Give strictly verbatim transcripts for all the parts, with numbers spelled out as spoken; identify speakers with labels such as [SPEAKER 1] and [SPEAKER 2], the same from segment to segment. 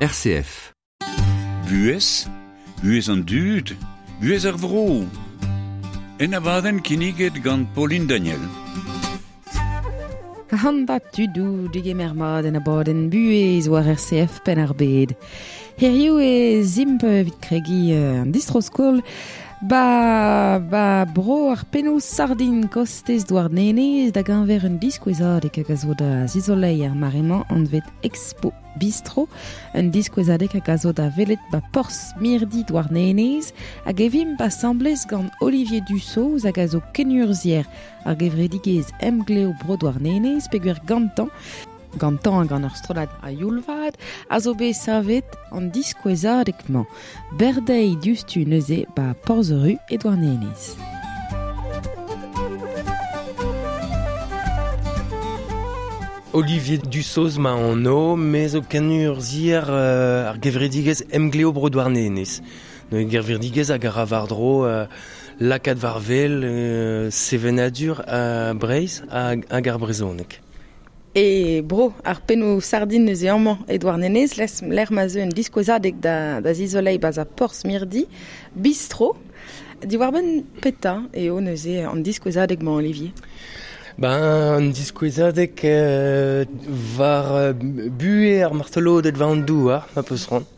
[SPEAKER 1] R C F.
[SPEAKER 2] Buhez, buhez an dud, buhez ar vro. En abadenn kinniget gant Pauline Daniel.
[SPEAKER 3] Hamba tudou digemer mat en abadenn buhez war R C F penn ar bed. Hiriv e zimp evit kregi an distro-skol ba, ba bro ar pennoù sardin kostez Douarnenez da gañver un diskouezadeg hag a zo da zizolei ar mare-mañ anvet Expo Bistro, un diskouezadeg hag a zo da welet ba porzh mirdi Douarnenez hag evimp asamblez gant Olivier Dussoz hag a zo kenurzhier ar gevredigezh Emglev Bro Douarnenez peogwir gantañ gantañ gant ur strollad a youlvad a zo bet savet an diskouezadeg-mañ. Berdeiz diouzhtu neuze ba Porzh-Ru e Douarnenez.
[SPEAKER 4] Olivier Dussoz ma anv, me zo kenurzhier euh, ar gevredigezh Emglev Bro Douarnenez. Neuze gevredigezh hag a ra war-dro euh, lakaat war-wel euh, sevenadur a Breizh hag, hag ar brezhoneg.
[SPEAKER 3] E bro, ar pennoù sardin neuze amañ e Douarnenez, les l'er ma zo un diskouezadeg da, da zizolei baz a porzh mirdi, bistro. Diwar-benn petra eo neuze an diskouezadeg-mañ, Olivier?
[SPEAKER 4] Ben, an diskouezadeg euh, war euh, buhez ar martoloded war an douar, ma peus c'hoant.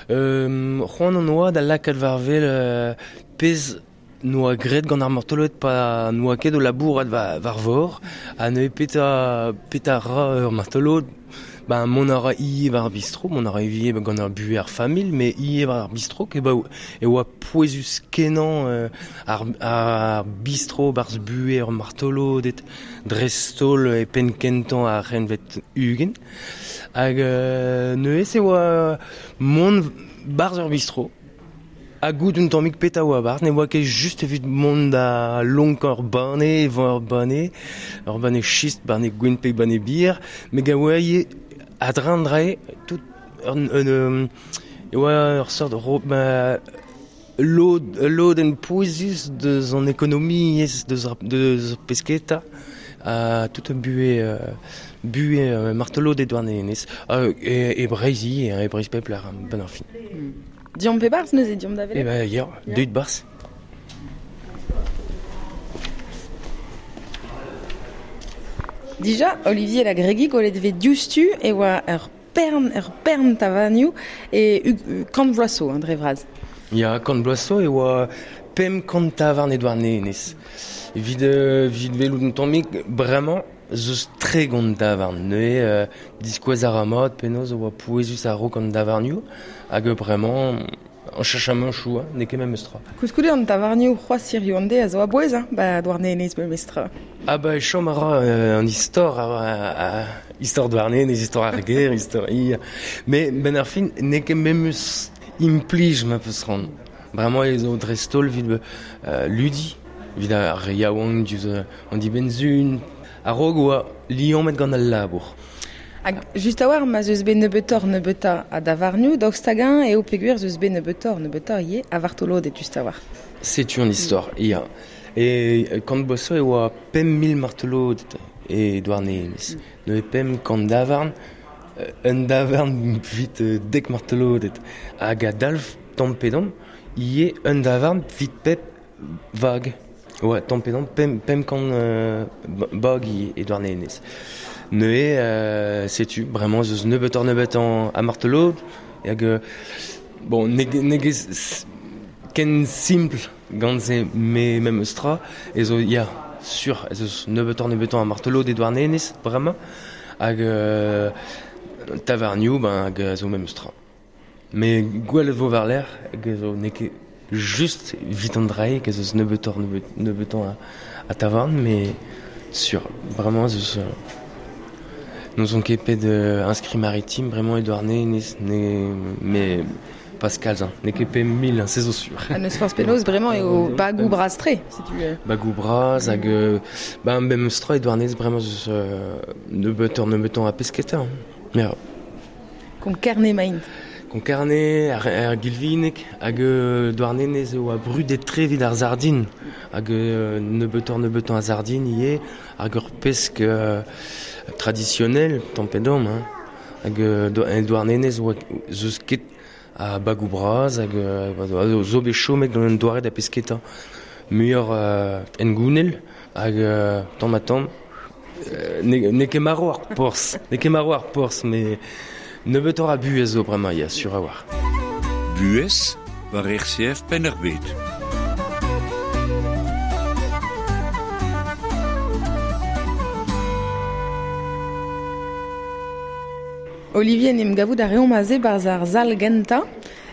[SPEAKER 4] Euh, c'hoant an oa da lakaat war-wel euh, pezh noa graet gant ar martolod pa noa ket o labourat war, war vor, ha neuze petra, petra ra ur martolod, ben mont a ra ivez war ar bistro, mont a ra ivez gant ar buhez ar familh, met ivez war ar bistro, ke ba e oa pouezus kenañ euh, ar, ar bistro barzh buhez ur martolod et dreist-holl e penn kentañ ar c'henvet ugent. Hag euh, neuze e oa mont barzh ur bistro. Ha goût un tammig petra oa barzh, ne oa ket just evit mont da lonkañ ur banne, evañ ur banne, ur banne chist, banne gwin pe banne bier, met ga oa ivez a-dreñv drae, tout ur, un, un, e oa ur seurt ro, ma, lod, lodenn pouezus deus an ekonomiezh, deus ar, deus ar pesketa, ha tout un buhez, euh, buhez euh, martolod e Douarnenez, euh, e, e Breizh ivez, e Breizh pep lec'h, benn ar fin.
[SPEAKER 3] Mm. Diomp pe barzh neuze, diomp da welet?
[SPEAKER 4] Eh ben, ya,
[SPEAKER 3] Ya.
[SPEAKER 4] deuit barzh.
[SPEAKER 3] Dija, Olivier Lagregi gwelet vez diouzhtu e oa ur pern, ur pern tavarnioù e u, kant vloaz zo, hein, dre vras.
[SPEAKER 4] Ya, kant vloaz zo e oa pemp kant tavarn e Douarnenez. Evit, euh, evit welout un tammig, bremañ, zeus tregont tavarn. Neuze, euh, diskouez ar mat penaos oa pouezus a-raok an tavarnioù, hag bremañ, an cheñchamantoù, hein, n'eo ket memes tra.
[SPEAKER 3] Koulskoude an tavarnioù c'hoazh hiziv an deiz a zo a-bouez, hein, ba Douarnenez memes tra.
[SPEAKER 4] Ah ba, e chom a ra euh, an istor, a, a, a, istor Douarnenez, istor ar gêr, istor hir. Mais benn ar fin, n'eo ket memes implij ma peus c'hoant. Bremañ e zo dreist-holl evit euh, ludi, evit ar re yaouank diouzh an dibenn-sizhun, a-raok oa liammet gant al labour.
[SPEAKER 3] Hag just a-walc'h ma zeus bet nebeutoc'h nebeutañ a davarnioù, daoust hag-eñ eo peogwir zeus bet nebeutoc'h nebeutañ ivez a vartoloded just a-walc'h.
[SPEAKER 4] Setu an istor, ya. E kant vloaz zo e oa pemp mil martoloded e Douarnenez. Neuze pemp kant davarn, un davarn evit dek martoloded. Hag a-dalv tamm pe damm, ivez un davarn evit pep vag. Ouais, tamm pe damm, pemp, pemp kant euh, bag ivez e Douarnenez. Neuze, euh, setu, bremañ zeus nebeutoc'h nebeutañ a martolod, hag, euh, bon, n'eo n'eo ket ken simpl gant se me memes tra, e zo, ya, sur, ez eus nebeutoc'h nebeutañ a martolod e Douarnenez, bremañ, hag euh, tavarnioù, ben, hag a zo memes tra. Mais gwelet vo war-lerc'h, hag a zo n'eo ket just evit an drae, hag ez eus nebeutoc'h nebeut, nebeutañ a, a tavarn, mais sur, bremañ ez eus... Euh, n'ozon ket pet euh, inscrit maritime, bremañ e Douarnenez, ne, mais Pascal, hein, n'eo ket pemp mil, hein, c'est zo sur.
[SPEAKER 3] Ha n'eus forzh penaos, bremañ eo bagou bras-tre, si tu veux.
[SPEAKER 4] Bagou bras, hag, euh, ben, memes tra e Douarnenez, bremañ eus euh, nebeutoc'h nebeutañ a pesketa. Hein. Ya.
[SPEAKER 3] Konk-Kerne emaint.
[SPEAKER 4] Konk-Kerne, ar, ar Gilvineg, hag euh, Douarnenez eo a brudet-tre evit ar sardin. Hag euh, nebeutoc'h nebeutañ a sardin ivez, hag ur pesk euh, traditionnel, tamm pe damm, hein. Hag euh, Douarnenez oa zeus ket a bagou braz hag euh, zo bet chomet gant un doare da pesketa muioc'h euh, engounel hag euh, tamm ha tamm euh, ne, ne ket marv ar porzh, ne ket marv ar porzh, mais nebeutoc'h a buhez zo bremañ, ya, sur a war.
[SPEAKER 2] Buhez war R C F Penn-ar-Bed.
[SPEAKER 3] Olivier n'em gavout a reomp aze barz ar zal genta,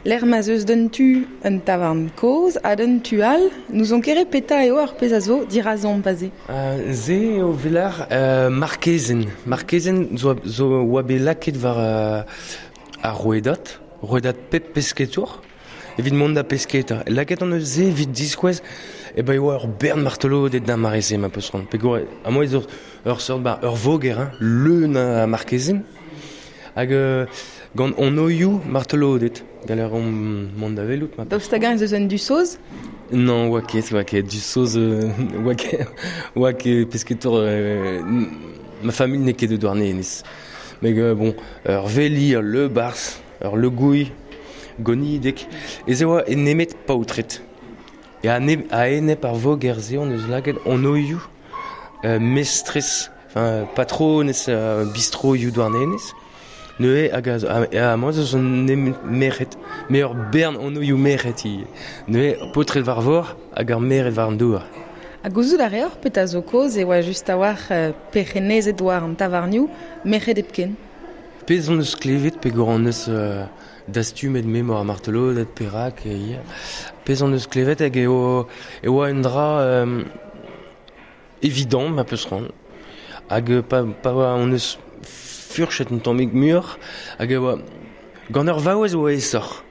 [SPEAKER 3] l'er ma zeus d'un tu un tavarn koz, ha d'un tu all, nous on kere peta eo ar pez a zo dirazon paze.
[SPEAKER 4] Uh, ze eo velar uh, markezen. Markezen zo, zo oa bet laket war uh, ar rouedat, rouedat pep pesketour, evit mont da pesketa. Laket an eus ze evit diskouez, e ba eo ur bern martelodet da mareze ma peus ran. Pegor, a moi ur, ur sort ba ur voger, hein, leun a markezen. Hag euh, gant on oioù martelodet, galer on mont da velout. Ma
[SPEAKER 3] Daoust hag-eñ ez eus un dusoz?
[SPEAKER 4] Non, oa ket, oa ket, dusoz, euh, oa ket, oa ket pesketour, euh, ma famille n'eo ket de Douarnenez. Mais euh, bon, ur veli, ur le bars, ur le gouilh, gonidek, ez eo oa nemet paotred. E a, ne, a enep ar voger-se on eus laket on oioù euh, mestrez, enfin patronez euh, bistro ioù Douarnenez. Neuze hag a, a, a moi zo son meret, me ur bern on oioù meret i. Neuze paotred war vor hag ar meret war an douar.
[SPEAKER 3] Ha gouzout a reor pet a zo koz e oa just a-walc'h euh, perc'hennezed war an tavarnioù merc'hed hepken.
[SPEAKER 4] Pezh on eus klevet peogwir on eus euh, dastumet memor ar martelodet perak e ya. Pezh on eus klevet hag eo e oa un dra euh, evident ma peus ran. Hag pa, pa oa on eus furchet un tammig muioc'h hag e oa gant ur vaouez oa aesoc'h.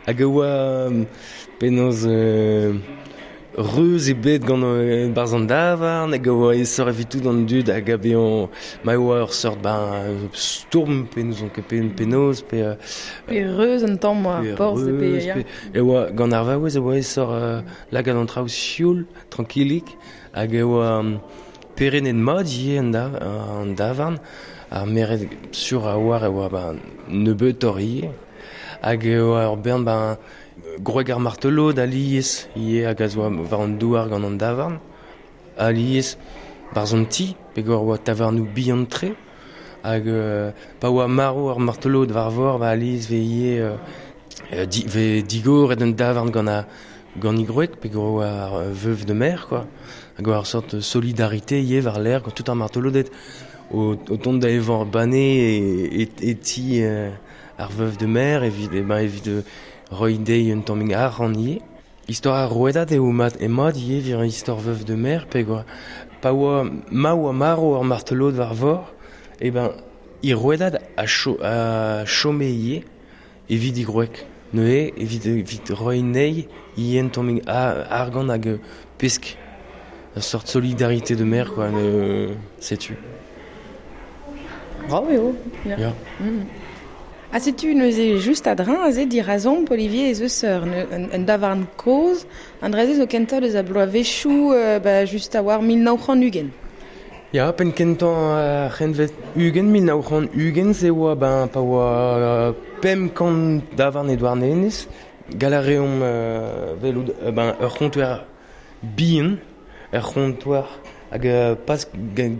[SPEAKER 4] Hag e oa penaos euh, reuz ebet gant euh, barzh an davarn hag e oa aesoc'h evit tout an dud hag a bezañ ma oa ur seurt ben stourm pe n'ouzon ket pe penaos pe euh,
[SPEAKER 3] Pe reuz un tamm war
[SPEAKER 4] pe
[SPEAKER 3] porzh e pe
[SPEAKER 4] reuz,
[SPEAKER 3] ya.
[SPEAKER 4] pe e oa gant ar vaouez e oa aesoc'h euh, lakaat an traoù sioul, trankilik hag e oa um, perennet mat ivez an, da, an davarn ar meret sur a oar e oa ben, nebeutoc'h ivez hag e oa ur bern ben, gwreg ar martelod alies ivez hag a zo war an douar gant an davarn alies barzh an ti peogwir oa tavarnoù bihan-tre hag euh, pa oa marv ar martelod war vor ba alies ve ivez euh, di, ve digoret un davarn gant a gant i gwreg peogwir oa ar veuve de mer quoi hag oa ur sort solidarité ivez war l'air gant tout ar martelodet o, o tont da evañ banne e, e, e ti euh, ar veuve de mer evit, e ben, evit euh, roiñ dezhi un tammig arc'hant ivez. Istor ar rouedad eo mat e mat ivez vir istor veuve de mer peogwir pa oa ma oa marv ar martelod war vor e ben i rouedad a, cho, a chome ivez evit i gwreg. Neuze evit, evit roiñ anezhi ivez un tammig argant hag pesk. Une sorte de solidarité de mer, quoi, euh, sais-tu.
[SPEAKER 3] Bravo, eo. Ya.
[SPEAKER 4] Ya.
[SPEAKER 3] Mm. Ha setu neuze just a-dreñv aze dirazomp Olivier ez eus ur, un, un davarn kozh, an dra-se zo kentañ deus a bloavezhioù euh, ba, just a war mil nav c'hant ugent.
[SPEAKER 4] Ya, penn kentañ ar c'hentved ugent, mil nav c'hant ugent, se oa ben, pa oa euh, pemp kant davarn e Douarnenez, gall a reomp euh, welout euh, ben, ur c'hontoer bihan, ur c'hontoer hag euh, pas gant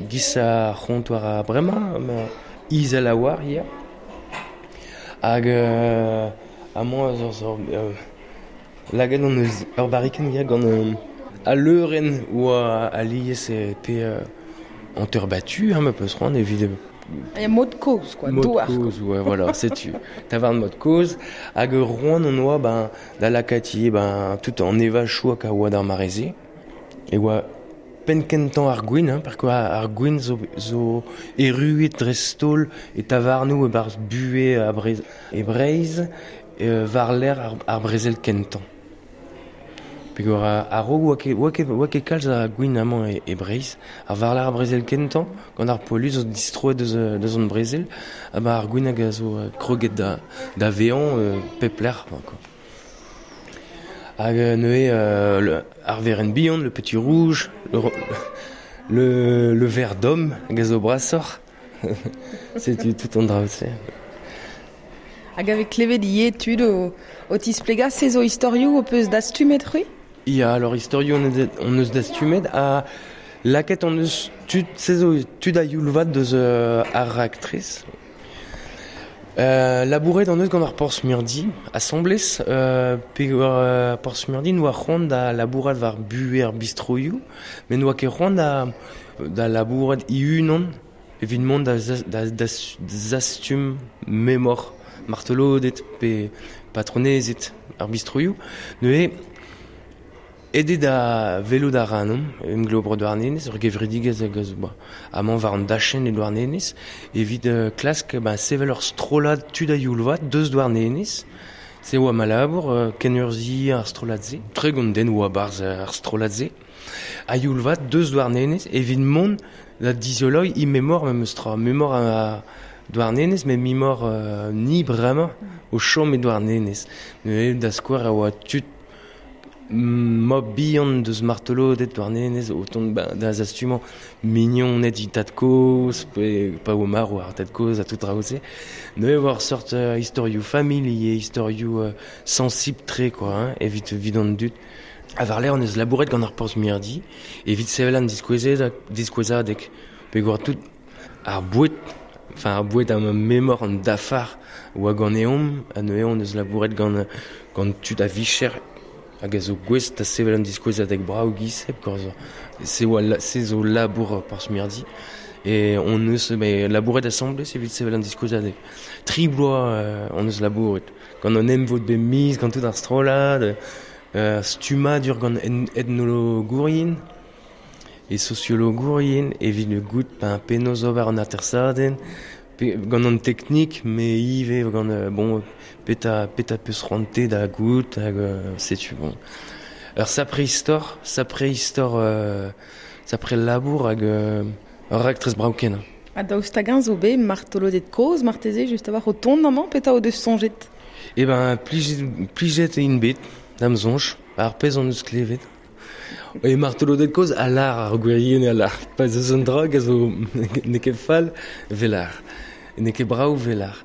[SPEAKER 4] giz ar c'hontoer a bremañ, ma izel a oar ya. Hag euh, amañ zo zo euh, laget on eus ur barrikenn ya gant euh, a leurenn oa alies e pe euh, hanter battu, hein, ma peus c'hoant evit
[SPEAKER 3] Ya mod kozh, quoi,
[SPEAKER 4] mod
[SPEAKER 3] douar, quoi.
[SPEAKER 4] kozh, ouais, voilà, setu. Tavarn mod kozh, hag roan on oa, ben, da lakati, ben, tout an evachoù hag a oa d'ar mareze. E oa penn kentañ ar gwin, hein, par ar gwin zo, zo erruet dreist-holl e tavarnoù e barzh buhez a Brez, e Breizh, e war l'air ar, ar brezel kentañ. Peogwir a-raok oa ket, oa ket, oa ket kalz a gwin amañ e, e Breizh, ar war l'air ar brezel kentañ, gant ar poelu zo distroet deus, deus an brezel, ha ba ar gwin hag a zo kroget da, da vezañ euh, pep lec'h, quoi. Hag neuze euh, le, ar verenn bihan, le petit rouge, le, le, le verre d'homme, hag a zo brasoc'h. Setu tout an draoù-se.
[SPEAKER 3] Hag ave klevet ie tud o, o tisplega se zo istorioù o peus dastumet c'hwi?
[SPEAKER 4] Ya, alors istorioù on eus, on eus dastumet ha lakaet on eus tud, se zo tud a youl-vat deus euh, ar raktres. Euh, labouret an eus gant ar Porzh-Mirdi, asambles, euh, pe euh, Porzh-Mirdi noa c'hoant da labourat war buhe ar bistroioù, met noa ket c'hoant da, da labourat i-unan evit mont da, da, da, zastum memor martelodet pe patronezet ar bistroioù. Neuze, ede da velo da ranom, emglev bro Douarnenez, ur gevredigezh hag a zo ba, amañ war an dachenn e Douarnenez, evit euh, klask ba, sevel ur strollad tud a youl-vat deus Douarnenez, se oa ma labour, euh, kenurzhiañ ar strollad-se, tregont den oa barzh ar strollad-se, a youl-vat deus Douarnenez, evit mont da dizoloiñ i memor memes tra, memor a Douarnenez, met memor euh, ni bremañ o chom e Douarnenez. Neuze da skouer a oa tud mob bihan deus martelodet Douarnenez o tont ba, da zastumañ mignoned i tad-kozh, pe pa oa marv ar tad-kozh ha tout draoù-se. Neuze oa ur sort euh, istorioù familh ivez, istorioù euh, sensible-tre quoi, hein, evit evit an dud. Ha war-lerc'h on eus labouret gant ar Porzh-Mirdi, evit sevel an diskouezadeg, diskouezadeg, peogwir tout ar boued, enfin ar boued am memor an dafar oa ganeomp, ha neuze on eus labouret gant, gant tud a vicher hag a zo gouest da sevel an diskouezadeg brav giz-se, peogwir se oa la, se zo labour Porzh-Mirdi. E on eus mais, labouret asambles evit sevel an diskouezadeg. Tri bloaz euh, on eus labouret. Gant an emvod bet miz, gant tout ar strollad, euh, stummadur gant en, etnologourien e sociologourien evit goût ben, penaos ober an atersadenn, pe, gant an teknik, me ivez gant euh, bon peta peta peus c'hoante da goût hag euh, setu bon. Ur sapre istor, sapre istor euh, sapre labour hag euh, ur raktres brav kenañ.
[SPEAKER 3] Ha daoust hag-eñ zo bet martoloded kozh marteze just a-walc'h o tont amañ petra o deus soñjet?
[SPEAKER 4] Eh ben plijet, plijet int bet, da'm soñj, ar pezh on eus klevet. E martoloded kozh a lar ar gwirionez a lar. Pa eus un dra hag a zo n'eo ket fall velar. N'eo ket brav velar.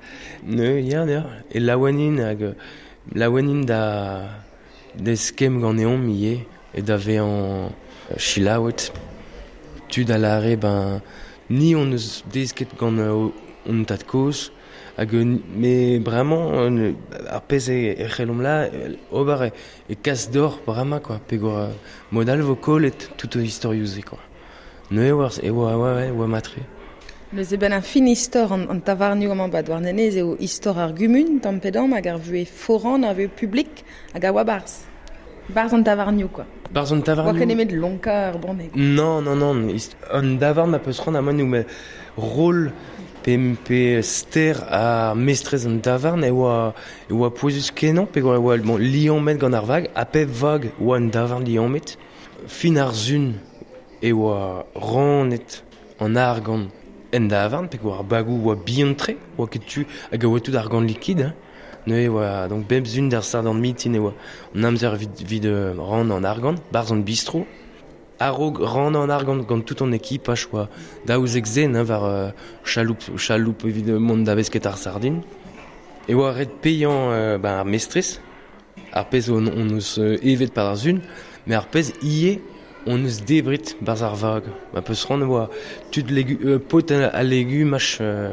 [SPEAKER 4] Ne, ya, ya. E laouenin hag laouenin da d'eskemm ganeomp ivez e da vezañ selaouet. Tud a lare ben ni on eus desket gant hon tad-kozh hag me bremañ ar pezh e c'hellomp la ober e kas d'or bremañ quoi peogwir mod all vo kollet tout istorioù-se quoi. Neuze oa e oa ouais, oa matre.
[SPEAKER 3] Neuze ben ar fin istor an, an tavarnioù amañ ba Douarnenez eo istor ar gumun tamm pe damm hag ar vuhez foran, ar vuhez publik hag a oa barzh. Barzh an tavarnioù quoi.
[SPEAKER 4] Barzh an tavarnioù.
[SPEAKER 3] Oa ket nemet lonkañ ar banne.
[SPEAKER 4] Non, non, non, an davarn a peus c'hoant amañ nou met rôle pe, pe ster ar mestrez an davarn e oa, e oa pouezus kenañ peogwir e oa bon, liammet gant ar vag, ha pep vag oa an davarn liammet. Fin ar sun e oa rannet an argant en davarn, peogwir ar bagoù oa bihan-tre, oa ket tu hag a oa tout argant liquide, hein. Neuze oa, donc bep sun d'ar sadorn mintin e oa an amzer evit, evit ran an argant, barzh an bistro. A-raok ran an argant gant tout an ekipaj oa daouzek zen, hein, war euh, chaloup, chaloup evit mont da vesket ar sardin. E oa ret paeañ euh, ben, ar mestrez, ar pezh on, on eus euh, evet par ar sun, met ar pezh ivez on eus debret barzh ar vag. Ma peus c'hoant oa tud legu, euh, paotr a legumaj euh,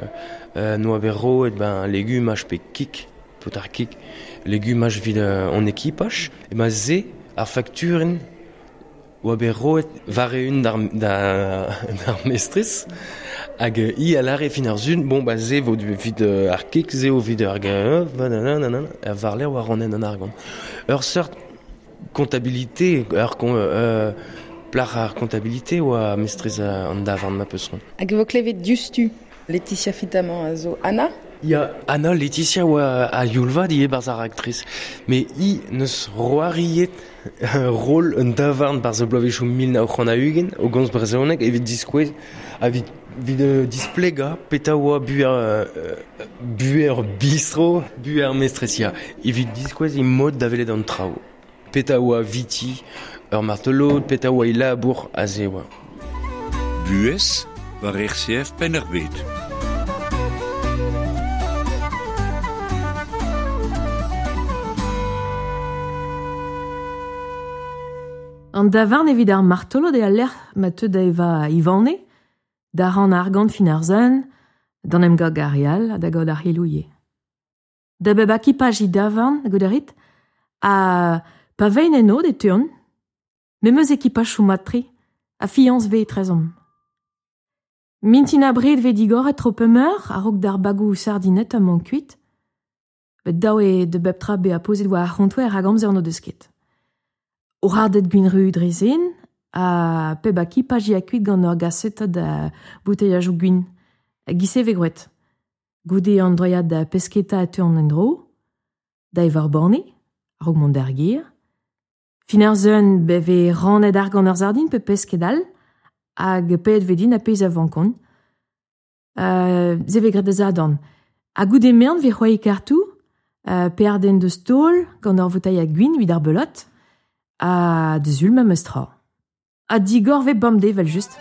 [SPEAKER 4] euh, noa bet roet ben, legumaj pe kig, paotr ar kig, legumaj evit euh, on ekipaj, e ma se ar fakturenn oa bet roet war-eeun d'ar, da, d'ar mestrez, hag i a lare fin ar sun, bon ba se vo evit euh, ar kig, se vo evit ar ga, nanana, ha war-lerc'h oa rannet an argant. Ur seurt comptabilité, ur con, euh, plac'h ar comptabilité oa mestrez an davarn ma peus c'hoant.
[SPEAKER 3] Hag e vo klevet diouzhtu Laetitia Fitamant a zo Anna?
[SPEAKER 4] Ya, Anna Laetitia oa a youl-vat ivez barzh ar raktres. Met hi neus c'hoariet rol un davarn barzh ar bloavezhioù mil nav c'hant ha-ugent o gomz brezhoneg evit diskouez evit evit euh, displegañ petra oa buher euh, buher bistro, buher mestrez ya. Evit diskouez he mod da welet an traoù. Petra oa viti ur martolod, petra oa e labour aze oa.
[SPEAKER 2] Buhez war R C F Penn-ar-Bed.
[SPEAKER 1] An davarn evit ar martolod e a lec'h ma teu da eva Ivane, da ran argant fin ar zun, d'an em gag ar real ha da gaout ar c'helouie. Da bep akipaj i davarn, goudarit, a pa vein eno de tuon, me meus ekipaj chou matre, a fiance ve etrezom. Mintin a bred ve digoret tro pemeur, a-raok d'ar bagou sardinet a man kuit, bet daou e de bep tra be a pozet war ar c'hontouer hag amzer no deus ket. O radet gwin ru dre zen, a peb akipaj i a kuit gant ur gaseta da bouteillajou gwin, a gise ve gwet. Goude an droiad da pesketa a teu an endro, da evar borne, a-raok mont d'ar gir. Fin ar zeun be ve rannet ar gant ur sardin pe pesket all, hag pet vedin a pez a vankon. Euh, ze ve gret da zadorn. Ha goude mern ve c'hoai kartou, euh, pe ar den deus taol gant ur voutailh a gwin evit ar belot, ha deus ul memes tra. Ha digor ve bemdez vel just.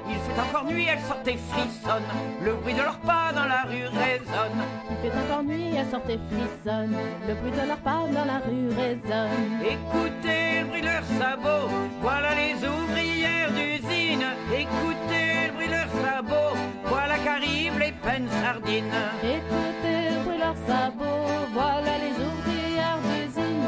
[SPEAKER 5] Il fait encore nuit, elles sortent et frissonnent. Le bruit de leurs pas dans la rue résonne.
[SPEAKER 6] Il fait encore nuit, elles sortent et frissonnent. Le bruit de leurs pas dans la rue résonne.
[SPEAKER 5] Écoutez le bruit de leurs sabots, voilà les ouvrières d'usine. Écoutez le bruit de leurs sabots, voilà qu'arrivent les peines sardines.
[SPEAKER 6] Écoutez le bruit de leurs sabots, voilà les ouvrières d'usine.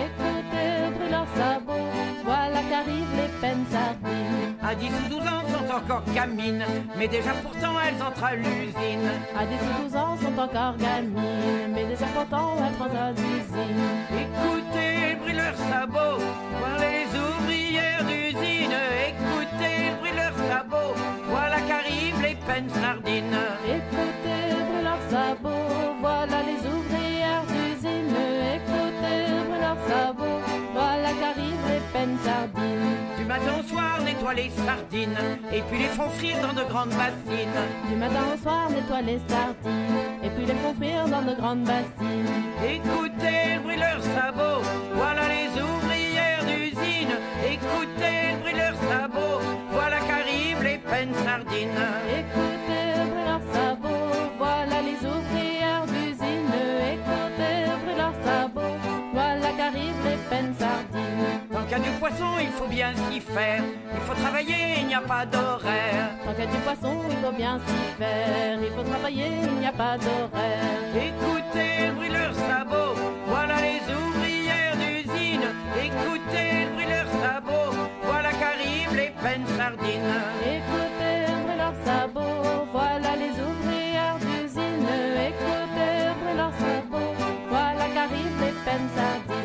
[SPEAKER 6] Écoutez le bruit de leurs sabots, voilà qu'arrivent les peines sardines.
[SPEAKER 5] À dix ou douze ans sont encore gamines, mais déjà pourtant elles entrent à l'usine.
[SPEAKER 6] À dix ou douze ans sont encore gamines, mais déjà pourtant elles entrent à l'usine.
[SPEAKER 5] Écoutez le bruit de leurs sabots, voilà les ouvrières d'usine. Écoutez le bruit de leurs sabots, voilà qu'arrivent les peines sardines.
[SPEAKER 6] Écoutez le bruit de leurs sabots, voilà les ouvrières d'usine. Écoutez le bruit de leurs sabots, voilà qu'arrivent les peines sardines.
[SPEAKER 5] Du matin au soir, nettoie les sardines, et puis les font frire dans de grandes bassines.
[SPEAKER 6] Du matin au soir, nettoie les sardines, et puis les font frire dans de grandes bassines.
[SPEAKER 5] Écoutez le bruit de leurs sabots, voilà les ouvrières d'usine. Écoutez le bruit de leurs sabots, voilà qu'arrivent les peines sardines.
[SPEAKER 6] Écoutez le bruit de leurs sabots, voilà les ouvrières d'usine. Écoutez le bruit de leurs sabots, voilà qu'arrivent les peines sardines.
[SPEAKER 5] Tant qu'il y a du poisson, il faut bien s'y faire. Il faut travailler, il n'y a pas d'horaire.
[SPEAKER 6] Tant qu'il y a du poisson, il faut bien s'y faire. Il faut travailler, il n'y a pas d'horaire.
[SPEAKER 5] Écoutez le bruit de leurs sabots, voilà les ouvrières d'usine. Écoutez le bruit de leurs sabots, voilà qu'arrivent les peines sardines.
[SPEAKER 6] Écoutez le bruit de leurs sabots, voilà les ouvrières d'usine. Écoutez le bruit de leurs sabots, voilà qu'arrivent les peines sardines.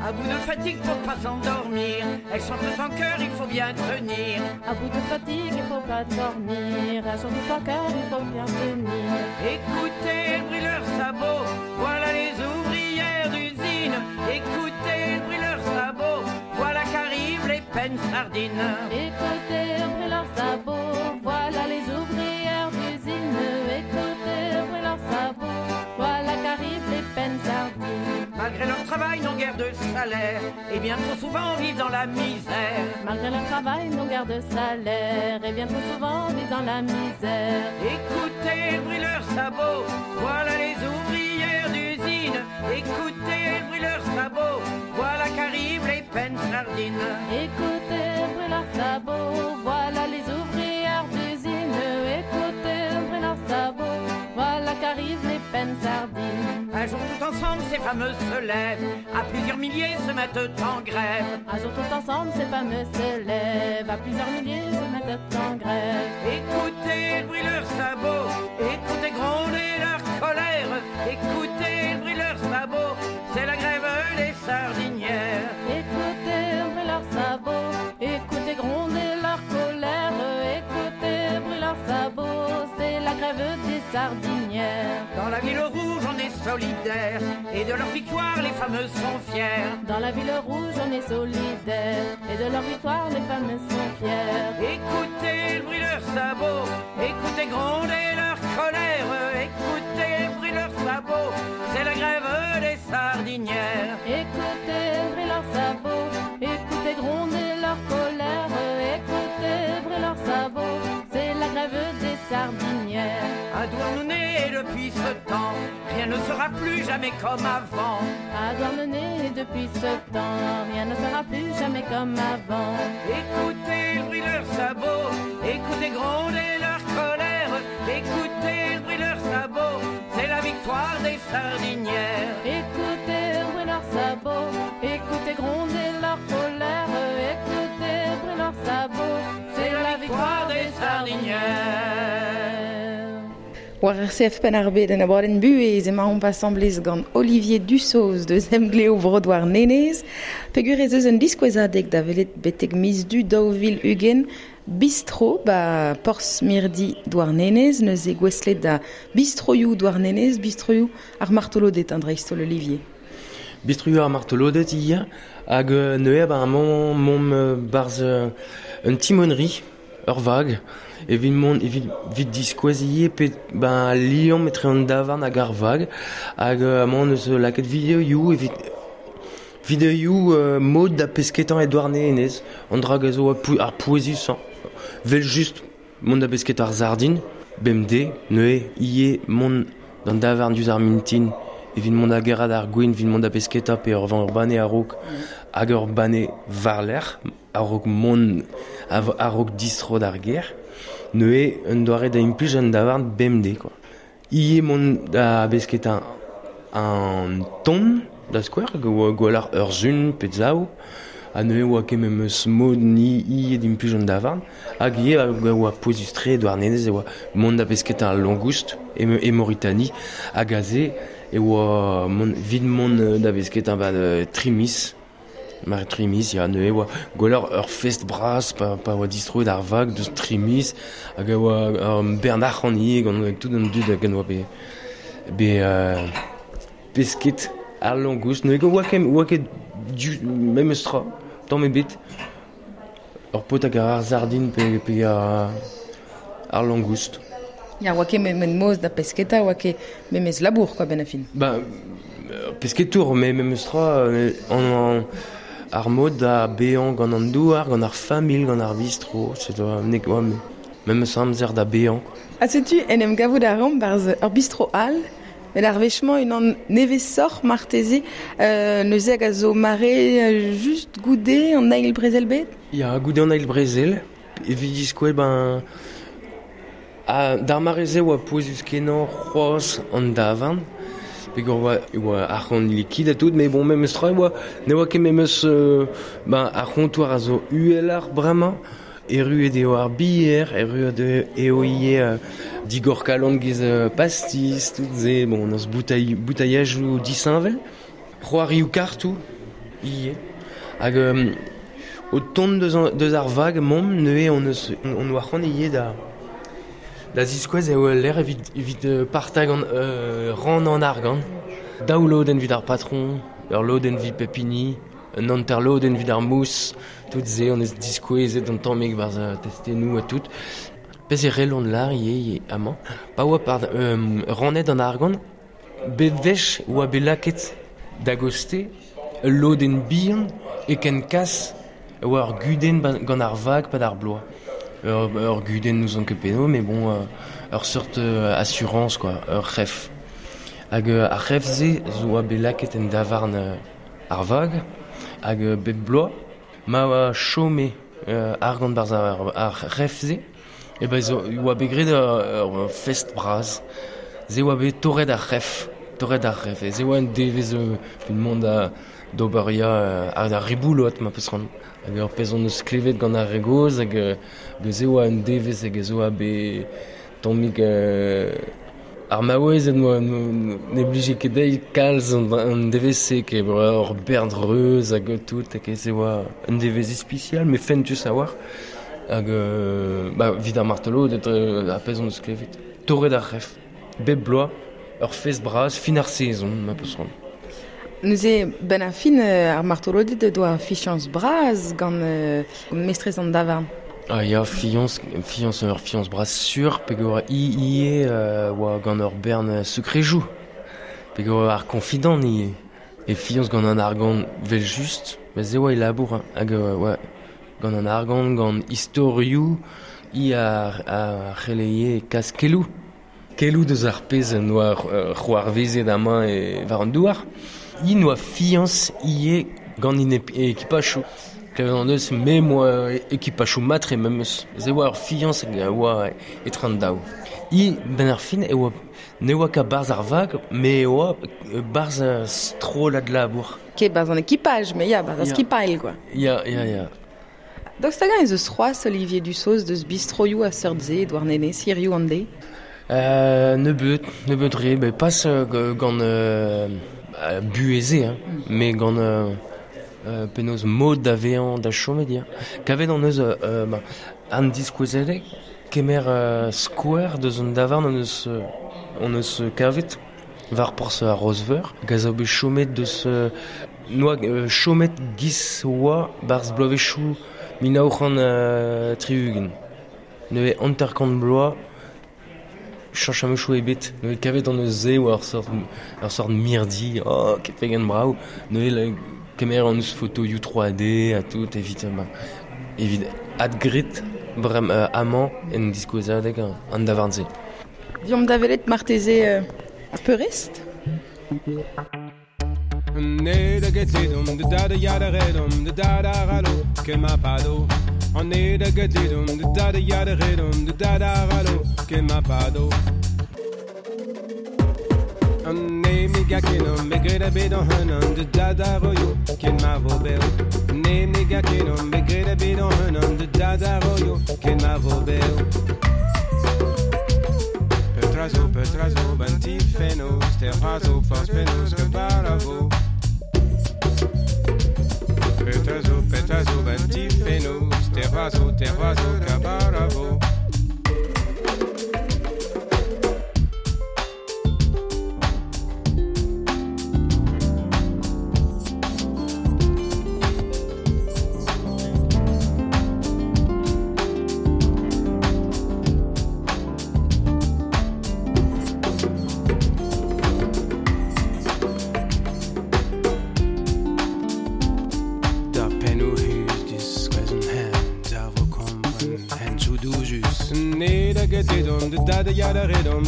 [SPEAKER 5] À bout de fatigue pour pas s'endormir, elles chantent en chœur, il faut bien tenir.
[SPEAKER 6] À bout de fatigue, il faut pas dormir, elles chantent en chœur, il faut bien tenir.
[SPEAKER 5] Écoutez le bruit de leurs sabots, voilà les ouvrières d'usine. Écoutez le bruit de leurs sabots, voilà qu'arrivent les peines sardines.
[SPEAKER 6] Écoutez le bruit de leurs sabots, voilà les ouvrières d'usine. Écoutez le bruit de leurs sabots, voilà qu'arrivent les peines sardines.
[SPEAKER 5] Malgré leur travail, n'ont guère de salaire, et bien trop souvent vivent dans la misère.
[SPEAKER 6] Malgré leur travail, n'ont guère de salaire, et bien trop souvent vivent dans la misère.
[SPEAKER 5] Écoutez le bruit de leurs sabots, voilà les ouvrières d'usine. Écoutez le bruit de leurs sabots, voilà qu'arrivent les peines sardines.
[SPEAKER 6] Écoutez le bruit de leurs sabots, voilà les ouvrières d'usine. Écoutez le bruit de leurs sabots, voilà qu'arrivent les peines sardines.
[SPEAKER 5] Un jour tout ensemble, ces fameux se lèvent, à plusieurs milliers se mettent en grève.
[SPEAKER 6] Un jour tout ensemble, ces fameux se lèvent, à plusieurs milliers se mettent en grève.
[SPEAKER 5] Écoutez le bruit de leurs sabots, écoutez gronder leur colère. Écoutez le bruit de leurs sabots, c'est la grève des sardinières.
[SPEAKER 6] Écoutez le bruit de leurs sabots, écoutez gronder leur colère. Écoutez le bruit de leurs sabots, c'est la grève des sardinières.
[SPEAKER 5] Dans la ville rouge, on est solidaire, et de leur victoire, les fameux sont fiers.
[SPEAKER 6] Dans la ville rouge, on est solidaire, et de leur victoire, les fameux sont fiers.
[SPEAKER 5] Écoutez le bruit de leurs sabots, écoutez gronder leur colère. Écoutez le bruit de leurs sabots, c'est la grève des sardinières.
[SPEAKER 6] Écoutez le bruit de leurs sabots, écoutez gronder leur colère. Écoutez le bruit de leurs sabots, c'est la grève des sardinières.
[SPEAKER 5] À Douarnenez, depuis ce temps, rien ne sera plus jamais comme avant.
[SPEAKER 6] À Douarnenez, depuis ce temps, rien ne sera plus jamais comme avant.
[SPEAKER 5] Écoutez le bruit de leurs sabots, écoutez gronder leur colère, écoutez le bruit de leurs sabots, c'est la victoire des sardinières.
[SPEAKER 6] Écoutez le bruit de leurs sabots, écoutez gronder leur colère, écoutez le bruit de leurs sabots,
[SPEAKER 5] c'est la victoire des sardinières.
[SPEAKER 3] War R C F Penn-ar-Bed en abadenn buhez emaomp asambles gant Olivier Dussoz deus Emgleo Bro Douarnenez. Peogwir ez eus un diskouezadeg da welet betek miz du daou vil ugent bistro ba Porzh Mirdi Douarnenez, neuze gouestlet da bistroioù Douarnenez, bistroioù ar martolodet an dreist-holl Olivier.
[SPEAKER 4] Bistroioù ar martolodet ia hag neuze ba mont mont barz un timonnerie ur vag evit mont evit vit diskouez pe ben liamm etre an davarn hag ar vag hag amañ eus lakaet videoioù evit videoioù euh, mod da pesketañ e Douarnenez an dra a zo ar pouezusañ vel just mont da pesketañ ar sardin bemdez neuze ivez mont d'an davarn diouzh ar mintin evit mont da gerc'hat ar gwin evit mont da pesketañ pe ur vent ur banne a-raok hag ur banne war-lerc'h a-raok mont a-raok distro d'ar gêr neuze un doare da implij an davarn bemdez quoi. Ivez mont da besketañ an ton da skouer gwelloc'h ur sun pe zaou ha neuze oa ket memes mod ni ivez d'implij an davarn hag ivez oa pouezus-tre Douarnenez e oa mont da besketañ al langoust e, e Mauritanie hag aze e oa mont vit mont da besketañ ba trimis Mar trimis, ya neuze oa gwelloc'h ur fest bras pa, pa oa distroet ar vag deus trimis hag a oa ur bern arc'hant ivez gant tout an dud hag oa be, be euh, pesket ar langoust neuze oa ket oa ket du memes tra tamm ebet ur paotr hag ar sardin pe, pe ar, ar langoust.
[SPEAKER 3] Ya oa ket memes moz da pesketa oa ket memes labour quoi ben a fin.
[SPEAKER 4] Ba pesketour mais memes tra an, an ar mod da bezañ gant an douar, gant ar familh, gant ar bistro, c'est nek oa memes amzer da bezañ.
[SPEAKER 3] Ha setu en em gavout a ran barzh ur bistro all, met ar wech-mañ unan nevesoc'h marteze, euh, neuze hag a zo mare just goude an eil brezel bet?
[SPEAKER 4] Ya, goude an eil brezel, evit diskouez ben a d'ar mare-se oa pouezus kenañ c'hoazh an davarn. Peogwir oa oa arc'hant liquide ha tout, mais bon memes tra oa ne oa ket memes euh, ben ar c'hontoir a zo uheloc'h bremañ erruet eo ar bier, erruet eo ivez euh, digor kalon giz euh, pastis, tout se, bon on eus boutailh, boutaillajoù disheñvel, c'hoarioù kartoù ivez. Hag euh, o tont deus, an, deus ar vag momp neuze on eus on oa c'hoant ivez da Da ziskouez eo l'air evit, evit partag an euh, ran an argant. Daou lodenn evit ar patron, ur lodenn evit pep hini, un hanter lodenn evit ar mous, tout se on eus diskouezet an tammig barzh testennoù ha tout. Pezh e relont lar ivez amañ. Pa oa par, euh, rannet an argant, bet wech oa bet lakaet da goste ul lodenn bihan e ken kas oa ur gudenn gant ar vag pad ar bloaz. Ur, ur gudenn n'ouzon ket penaos, mais bon, euh, ur seurt euh, assurance, quoi, ur c'hef. Hag euh, ar c'hef-se zo oa bet lakaet en davarn euh, ar vag, hag euh, bep bloaz, ma oa chome euh, argant barzh ar, ar c'hef-se, e ben zo oa bet graet ur, ur fest bras. Se oa bet torret ar c'hef, torret ar c'hef. E se oa un devezh euh, evit mont da d'ober ya euh, ar riboulot ma peus c'hoant. Hag ur pezh on eus klevet gant ar re gozh hag hag se oa un devezh hag ez oa bet tammig euh, ar maouezed noa ne blije ket dezhi kalz an, an devezh-se ket ur bern reuz hag tout hag se oa un devezh ispisial mais fentus a-walc'h hag euh, ba evit ar martoloded ar pezh on eus klevet. Torret ar c'hef, bep bloaz, ur fest bras, fin ar sezon ma peus c'hoant.
[SPEAKER 3] Neuze ben a fin ar martoloded doa fichañs bras gant euh, mestrez an davarn.
[SPEAKER 4] Ah ya, fiañs, fiañs ur fiañs bras sur, peogwir i ivez euh, oa gant ur bern sekrejoù, peogwir ar confident ivez. E fiañs gant an argant vel just, mais se oa e labour, hein, hag euh, oa gant an argant, gant istorioù, i ar, ar c'heleie kaskelloù. Kelou deus ar pezh noa c'hoarvezet amañ e war an douar. I noa fiañs ie gant in ekipachou. Klevet an deus me moa ekipachou matre memes. Ze oa ar fiañs hag a oa etre an daou. I ben ar fin e oa ne oa ka barz ar vag, me oa barz a strollad labour.
[SPEAKER 3] Ket barz an ekipaj, me ya, barz ar skipail, quoi.
[SPEAKER 4] Ya, ya, ya.
[SPEAKER 3] Daoust hag ez eus c'hoazh Olivier Dussoz deus bistroioù a seurt se Douarnenez, hiriv an deiz?
[SPEAKER 4] Euh, nebeut, nebeut re, bet pas euh, gant euh, bueze, hein, mm. mais gant euh, euh, penaos mod da vezañ da chomet ya. Kavet an eus euh, ba, an diskouezadeg, kemer euh, skouer deus an davarn an eus, an eus kavet, war porzh ar Rosveur, gaz a bet chomet deus euh, noa euh, chomet giz oa barz bloavezhioù mil nav c'hant euh, tri-ugent. Neuze hanter-kant bloaz chanch am eus ebet. Neuze kavet an eus se oa ur sort, ur sort mirdi, oh, ket pegen brav. Neuze kemer an eus fotoioù trois D ha tout evit, ba, evit adgrit brem euh, amañ en diskouezadeg an davarn-se.
[SPEAKER 3] Diomp da welet marteze euh, ar peurrest?
[SPEAKER 7] Ne da getledom de da da ya da redom de da da ralo ken ma pado. An ne da getledom de da da ya da redom de da da ralo ken ma pado. An ne mi gakenom me gred a bet an hunan de da da royo ken ma vo beo. Ne mi gakenom me gred a bet an hunan de da da royo ken ma vo beo. Petrazo, petrazo, banti fenos, terrazo, force penos, que paravo. Petrazo, petrazo, banti fenos, terrazo, terrazo, cabaravo.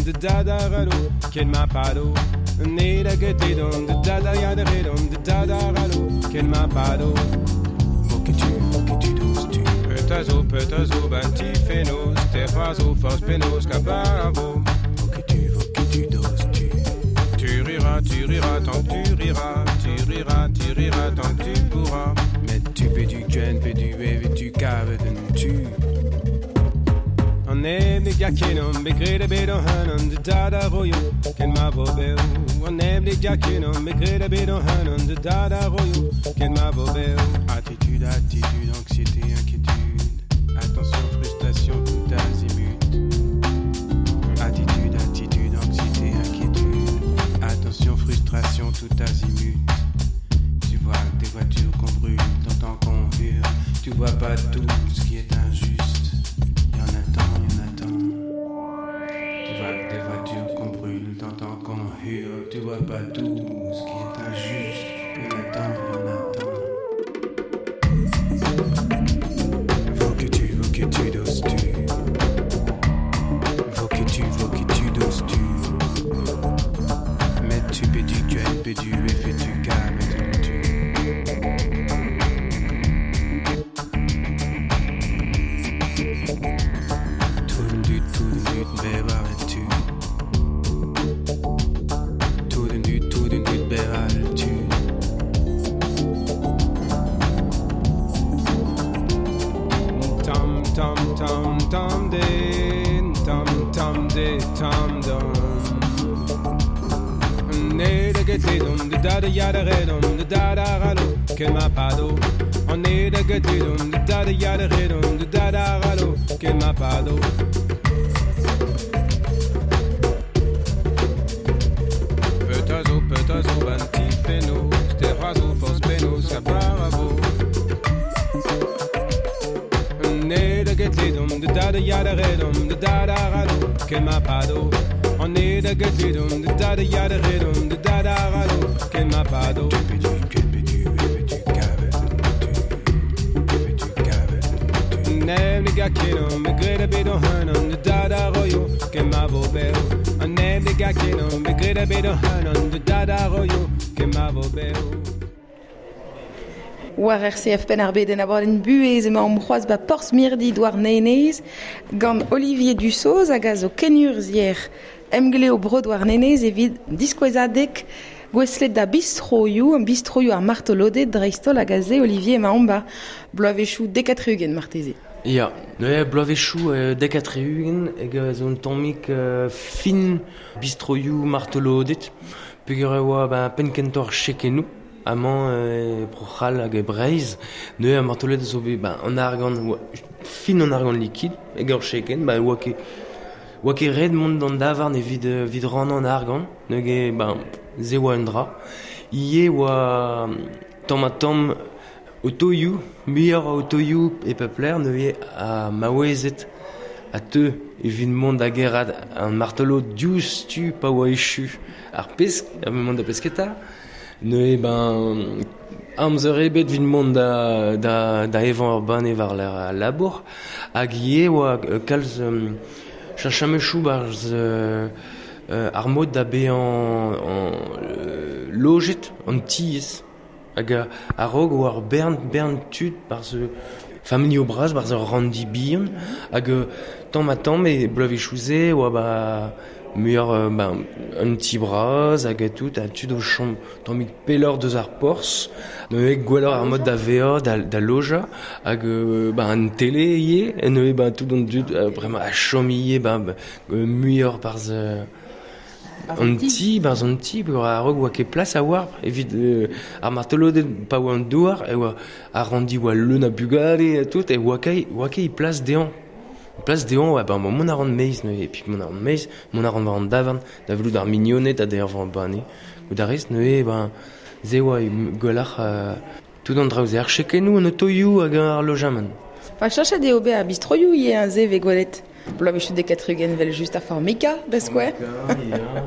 [SPEAKER 7] De da da ralo ken ma pado. Ne da getedom de da da ya da redom de da da ralo ken ma pado. Voketu, voketu dos tu. Petazo, petazo, banti fenos, terrazo, force penos, cabaravo. Voketu, voketu dos tu. Tu riras, tu riras, tant que tu riras, tu riras, tu riras, tant que tu pourras. Mais tu pedu gen, pedu ev tu cave tu. An eblig jakinom, begred a bet an hanon de da da royo, ken ma vo beo. An eblig jakinom, begred a bet an hanon de da da royo, ken ma vo beo. Attitude, attitude, anxiété, inquiétude. Attention, frustration, tout azimut. Attitude, attitude, anxiété, inquiétude. Attention, frustration, tout azimut. Tu vois des voitures qu'on brûle, t'entends qu'on hurle. Tu vois pas tout ce qui est injuste. T'entends qu'on hurle, tu vois pas tout ce qui est injuste. Il y en a tant, il y en a tant. Faut que tu, faut que tu doses tu. Faut que tu, faut que tu doses tu. Mais tu peux du Q N, P du F et tu K, mais tu. Tout du, tout du, bébé, tu. Tam de, tam tam de, tam dum. Ne da getedum, de da da ya da redum, de da da ralo, ken ma pado. Ne da getedum, de da da ya da redum, de da da ralo, ken ma pado. Petazo, petazo, banti fenos, terrazo, force penos, cabaravo. Ne da getledom, de da da ya da redom, de da da ralo, ken ma pado. Ne da getledom, de da da ya da redom, de da da ralo, ken ma pado. Ne ne gakenom, me gred a bet an hunan, de da da royo, ken ma vo beo. ga kenon, begret a bet o hanon, de dada royo, kemavo beo.
[SPEAKER 3] War R C F Penn ar Bed en abadenn buhez emañ omp c'hoazh ba Porzh Mirdi Douarnenez gant Olivier Dussoz hag a zo kenurzhier emgleo bro Douarnenez evit diskouezadeg gouestlet da bistroioù, an bistroioù ar martoloded dreist-holl hag aze Olivier emañ omp ba bloavezhioù dek ha tri-ugent marteze.
[SPEAKER 4] Ya, neuze bloavezhioù euh, dek ha tri-ugent hag a zo un tammig euh, fin bistroioù martoloded peogwir e oa ba penn kentoc'h chekennoù. Amañ euh, Bro-C'hall hag e Breizh, neuze ar martoloded zo bet ba an argant, oa, fin an argant liquide, hag ur chekenn, ba oa ket, oa ket ret mont d'an davarn evit, euh, evit rannañ an argant, neuze ba se oa un dra. Ivez oa tamm ha tamm otoioù, muioc'h a otoioù e pep lec'h, neuze a maouezed a teu evit mont da gerc'hat an martolod diouzhtu pa oa echu ar pesk, a mont da pesketa. Neuze ben amzer ebet evit mont da, da, da evañ ur banne war al labour hag ivez oa kalz um, cheñchamechoù barzh euh, euh, ar mod da bezañ en, euh, lojet an tiez hag a-raok oa ar bern, bern tud barzh familhoù bras barzh ur ranndi bihan hag tamm ha tamm e bloavezhioù-se oa ba muioc'h euh, ben, un ti bras hag tout ha tud o chom tammig pelloc'h deus ar porzh neuze gwelloc'h ar mod da vezañ da, da lojañ hag euh, ben, an tele ivez neuze ben, tout an dud euh, bremañ a chom ivez ben, euh, muioc'h barzh euh, an ti barzh an ti peogwir a-raok oa ket plas a-walc'h evit euh, ar martoloded pa oa an douar e oa ar ranndi oa leun a bugale ha tout e oa ket oa ket plas dezhañ. Plas dezhañ oa ben mont a ran meiz neuze et puis mont a ran meiz mont a ran war an davarn da welout ar mignoned ha d'er war banne goût a rez neuze ben se oa gwelloc'h euh, tout an draoù-se ar chekennoù an otoioù hag ar lojamant.
[SPEAKER 3] Enfin, cheñchet eo bet ar bistroioù ivez hein, se vez gwelet. Bloavezhioù dek ha tri-ugent vel just ar Formica da skouer.
[SPEAKER 4] Formica, ya.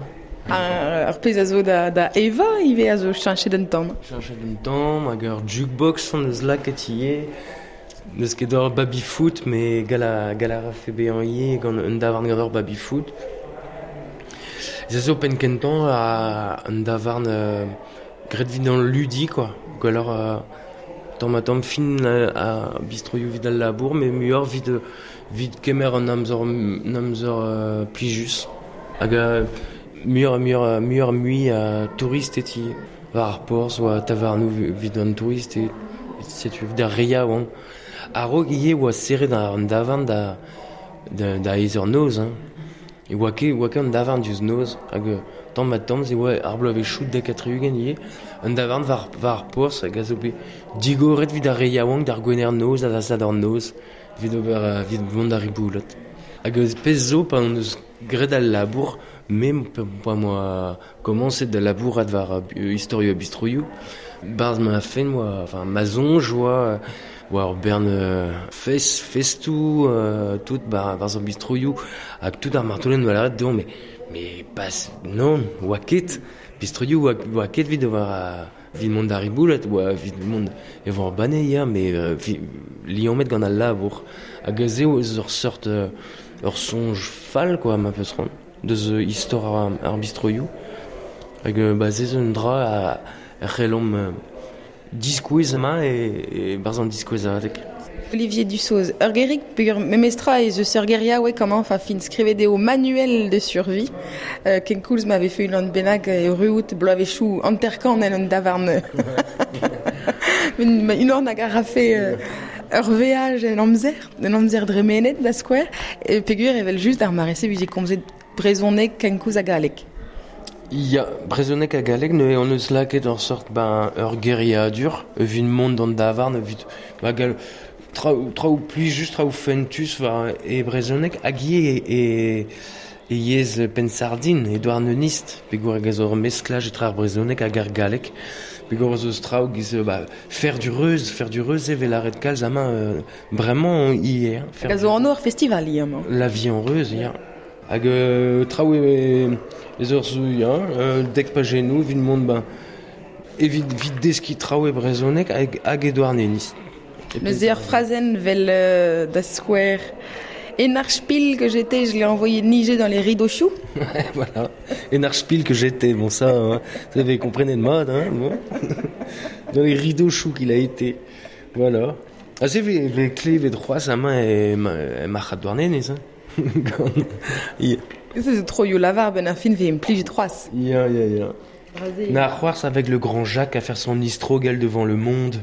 [SPEAKER 3] Ar, ar pezh a zo da, da Eva ivez a zo cheñchet un tamm.
[SPEAKER 4] Cheñchet un tamm hag ur jukebox an eus lakaet ivez. N'eus ket ur baby-foot, mais gall a, gall a rafe bezañ ivez gant un davarn gant ur baby-foot. Se zo penn kentañ a un davarn euh, graet evit an ludi, quoi. Gwelloc'h euh, tamm ha tamm fin euh, a bistroioù evit al labour, mais muioc'h evit, evit kemer an amzer, an amzer euh, plijus. Hag euh, muioc'h, muioc'h, muioc'h mui a tourist eti war ar porzh oa tavarnoù evit an tourist e setu evit ar re yaouank. A-raok ivez oa serret an davarn da, da, da eizh eur noz, hein. E oa ket, oa ket an davarn diouzh noz hag tamm ha tamm se oa ar bloavezhioù dek ha tri-ugent ivez un davarn war, war ar porzh hag a zo bet digoret evit ar re yaouank d'ar gwener noz ha da sadorn noz evit ober evit mont da riboulat. Hag eus pezh zo pa hon eus graet al labour me pa moa komañset da labourat war euh, istorioù ha bistroioù barzh ma fenn oa enfin ma soñj oa oa ur bern euh, fest, festoù euh, tout ba barzh ar bistroioù hag tout ar martoloded oa lâret dezhañ mais mais pas non oa ket bistroioù oa, oa ket evit ober evit mont da riboulat oa evit mont evañ ur banne ya mais euh, vi, liammet gant al labour hag se eus ur seurt euh, ur soñj fall quoi ma peus c'hoant deus euh, istor ar, ar bistroioù hag euh, ba se zo un dra a, a c'hellomp euh, diskouez amañ e, e barzh an diskouezadeg.
[SPEAKER 3] Olivier Dussoz, ur gerig peogwir memestra ez eus ur geriaoueg amañ, enfin fin skrivet eo manuel de survie. Euh, kenkoulz m'avait fait unan bennak e ruout bloavezhioù hanter-kant en un davarn. Un unan hag a rafe euh, ur veaj en amzer, en amzer dremenet da skouer, e peogwir evel just ar mare-se vije komzet brezhoneg kenkoulz ha galleg.
[SPEAKER 4] Ya, brezhoneg ha galleg, neuze hon eus lakaet ur sort ben, ur geriadur, evit mont d'an davarn, evit ba, gal, traoù, traoù plijus, traoù fentus war e brezhoneg hag ivez e, e, e yezh penn-sardin, e douarnenist, peogwir hag a zo ur mesklaj etre ar brezhoneg hag ar galleg, peogwir eus traoù giz ba, fer du reuz, fer du reuz evel lâret kalz amañ euh, bremañ ivez. Hein, fer
[SPEAKER 3] Hag a zo anv ur festival ivez amañ.
[SPEAKER 4] La vie en reuz, ya. Hag euh, traoù e, ez ur zo, ya, euh, dek pajennoù, evit mont ben, evit, evit deskiñ traoù e brezhoneg hag, hag e douarnenist.
[SPEAKER 3] Neuze ur frazenn vel euh, da skouer Enarchpil que j'étais, je l'ai envoyé niger dans les rideaux choux.
[SPEAKER 4] Voilà. Enarchpil que j'étais, bon ça, hein, vous avez compris de mode, hein, bon. Dans les rideaux choux qu'il a été. Voilà. Ah, c'est ve klevet c'hoazh amañ e marc'had Douarnenez, hein.
[SPEAKER 3] Ya. C'est trop yo lavar ben ar fin ve implijet c'hoazh.
[SPEAKER 4] Ya, ya, ya. Na c'hoazh avec le grand Jacques à faire son istrogel devant le monde.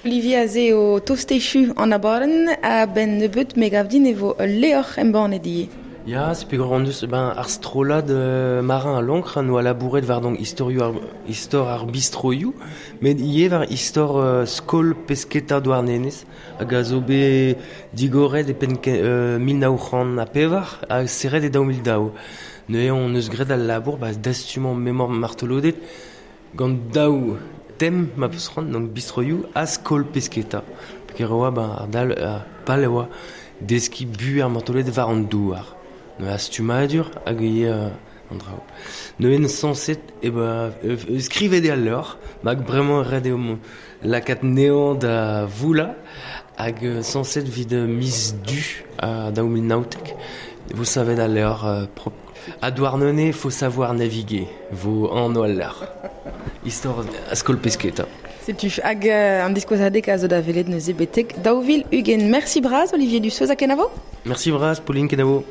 [SPEAKER 3] Olivier aze o tostechu an abadenn a ben nebeut me gav din e vo leor embannet ivez.
[SPEAKER 4] Ya, c'est plus grand deus, ben, ar strollad euh, marin a l'encre noa labouret war donc istorioù ar, istor ar bistroioù, met ivez war istor euh, skol pesketa Douarnenez, hag a zo bet digoret e penn euh, mil nav c'hant ha pevar, hag serret e daou mil daou. Neuze on eus graet al labour, ba, dastumant memor martolodet, gant daou tem ma peus c'hoant, donc bistroioù ha skol pesketa. Peogwir e oa, ben, ar dal, ar pal e oa deskiñ bu ar martolodet war an douar. Neuze astumadur hag ivez euh, an draoù. Neuze sañset e ba, euh, skrivet eo al levr, mag bremañ ret eo lakaat nezañ da voulañ, hag euh, sañset evit miz du a daou mil naontek. Vous savez al levr euh, prop. A Douarnenez, faut savoir naviguer, vo anv al levr. Istor a skol pesketa.
[SPEAKER 3] Setu hag euh, an diskouezadeg a zo da welet neuze betek daou vil ugent. Merci bras, Olivier Dussoz ha kenavo.
[SPEAKER 4] Merci bras, Pauline, kenavo.